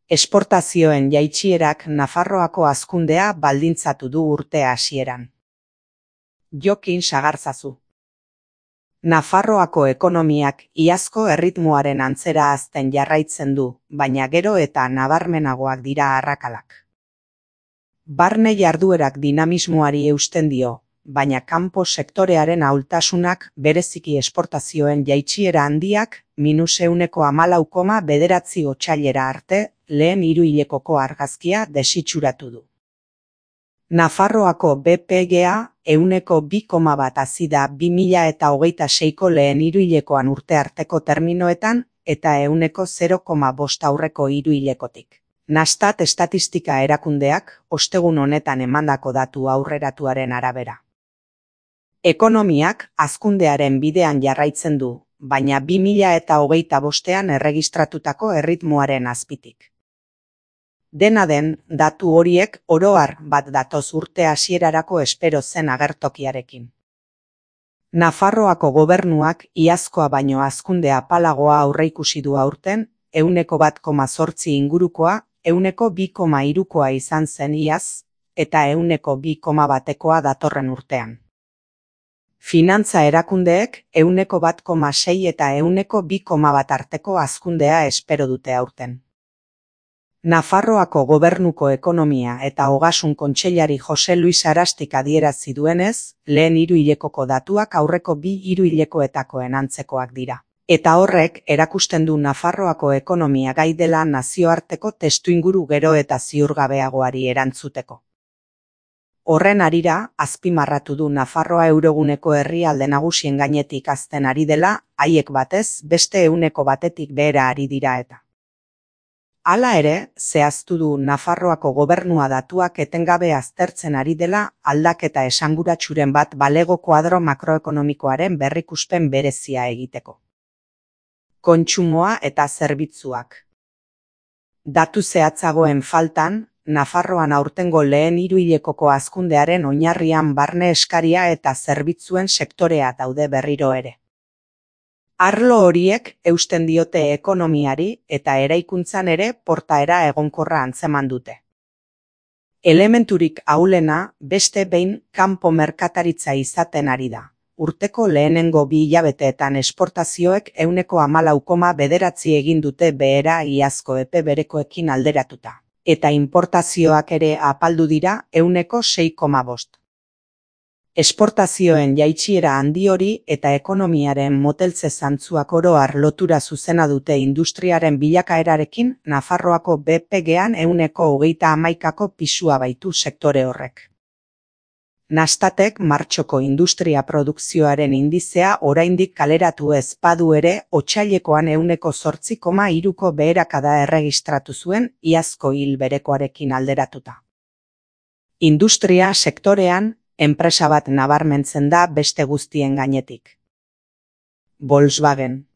Esportazioen jaitsierak Nafarroako hazkundea baldintzatu du urte hasieran. Jokin Sagarzazu. Nafarroako ekonomiak iazko erritmoaren antzera hazten jarraitzen du, baina gero eta nabarmenagoak dira arrakalak. Barne jarduerak dinamismoari eusten dio, baina kanpo sektorearen ahultasunak bereziki esportazioen jaitsiera handiak -14,9 otsailera arte lehen hiruhilekoko argazkia desitxuratu du. Nafarroako BPGA 2,1 hazi da 2026ko lehen hiruhilekoan urte arteko terminoetan eta 0,5 aurreko hiruhilekotik. Nastat estatistika erakundeak ostegun honetan emandako datu aurreratuaren arabera. Ekonomiak hazkundearen bidean jarraitzen du, baina 2025ean erregistratutako erritmoaren azpitik. Dena den, datu horiek oro har bat datoz urte hasierarako espero zen agertokiarekin. Nafarroako gobernuak iazkoa baino hazkunde apalagoa aurreikusi du aurten, 1,8 ingurukoa, 2,3koa izan zen iaz, eta 2,1koa datorren urtean. Finantza erakundeek 1,6 eta 2,1 arteko hazkundea espero dute aurten. Nafarroako gobernuko ekonomia eta ogasun kontseilari Jose Luis Arastik adierazi duenez, lehen hiruhilekoko datuak aurreko 2 hiruhilekoetakoen antzekoak dira. Eta horrek erakusten du Nafarroako ekonomia gai dela nazioarteko testuinguru gero eta ziurgabeagoari erantzuteko. Horren harira, azpimarratu du Nafarroa euroguneko herrialde nagusien gainetik hazten ari dela, haiek batez beste 1%tik behera ari dira eta. Hala ere, zehaztu du Nafarroako gobernua datuak etengabe aztertzen ari dela aldaketa esanguratsuren bat balego kuadro makroekonomikoaren berrikuspen berezia egiteko. Kontsumoa eta zerbitzuak. Datu zehatzagoen faltan, Nafarroan aurtengo lehen hiruhilekoko hazkundearen oinarrian barne eskaria eta zerbitzuen sektorea daude berriro ere. Arlo horiek eusten diote ekonomiari eta eraikuntzan ere portaera egonkorra antzeman dute. Elementurik ahulena beste behin kanpo merkataritza izaten ari da. Urteko lehenengo 2 hilabeteetan esportazioek 14,9 egin dute behera iazko epe berekoekin alderatuta. Eta importazioak ere apaldu dira 6,5. Esportazioen jaitsiera handi hori eta ekonomiaren moteltze zantzuak oro har lotura zuzena dute industriaren bilakaerarekin Nafarroako BPGan 1,31ko pisua baitu sektore horrek. Nastatek martxoko industria produkzioaren indizea oraindik kaleratu ez badu ere otsailekoan 8,3ko beherakada erregistratu zuen iazko hil berekoarekin alderatuta. Industria sektorean enpresa bat nabarmentzen da beste guztien gainetik. Volkswagen.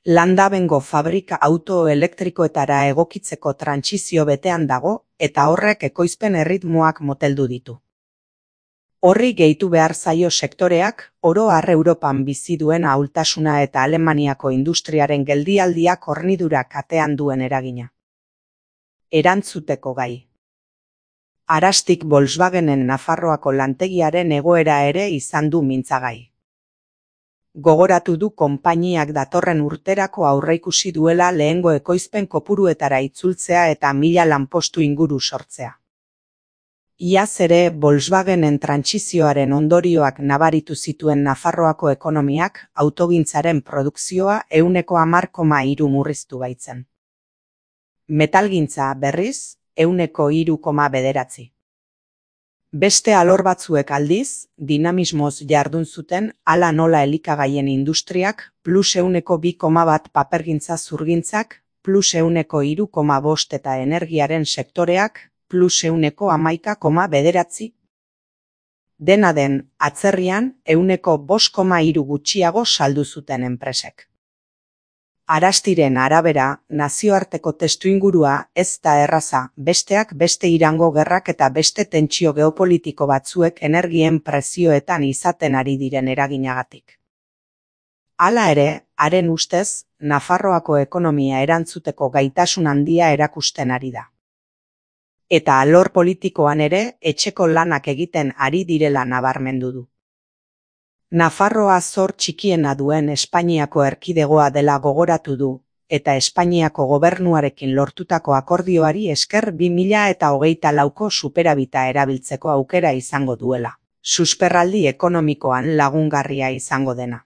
Landabengo fabrika autoelektrikoetara egokitzeko trantsizio betean dago eta horrek ekoizpen erritmoak moteldu ditu. Horri gehitu behar zaio sektoreak oro har Europan bizi duen ahultasuna eta Alemaniako industriaren geldialdiak hornidura katean duen eragina. Erantzuteko gai. Arastik Volkswagenen Nafarroako lantegiaren egoera ere izan du mintzagai. Gogoratu du konpainiak datorren urterako aurreikusi duela lehengo ekoizpen kopuruetara itzultzea eta 1000 lanpostu inguru sortzea. Iaz ere Volkswagenen trantsizioaren ondorioak nabaritu zituen Nafarroako ekonomiak autogintzaren produkzioa 10,3 murriztu baitzen. Metalgintza berriz 3,9. Beste alor batzuek aldiz, dinamismoz jardun zuten hala nola elikagaien industriak +2,1 papergintza zurgintzak, +3,5 eta energiaren sektoreak +1,11,9. Dena den, atzerrian 5,3 gutxiago saldu zuten enpresek. Arastiren arabera, nazioarteko testuingurua ez da erraza, besteak beste Irango gerrak eta beste tentsio geopolitiko batzuek energien prezioetan izaten ari diren eraginagatik. Hala ere, haren ustez, Nafarroako ekonomia erantzuteko gaitasun handia erakusten ari da. Eta alor politikoan ere etxeko lanak egiten ari direla nabarmendu du. Nafarroa zor txikiena duen Espainiako erkidegoa dela gogoratu du, eta Espainiako gobernuarekin lortutako akordioari esker 2024ko superabita erabiltzeko aukera izango duela. Susperraldi ekonomikoan lagungarria izango dena.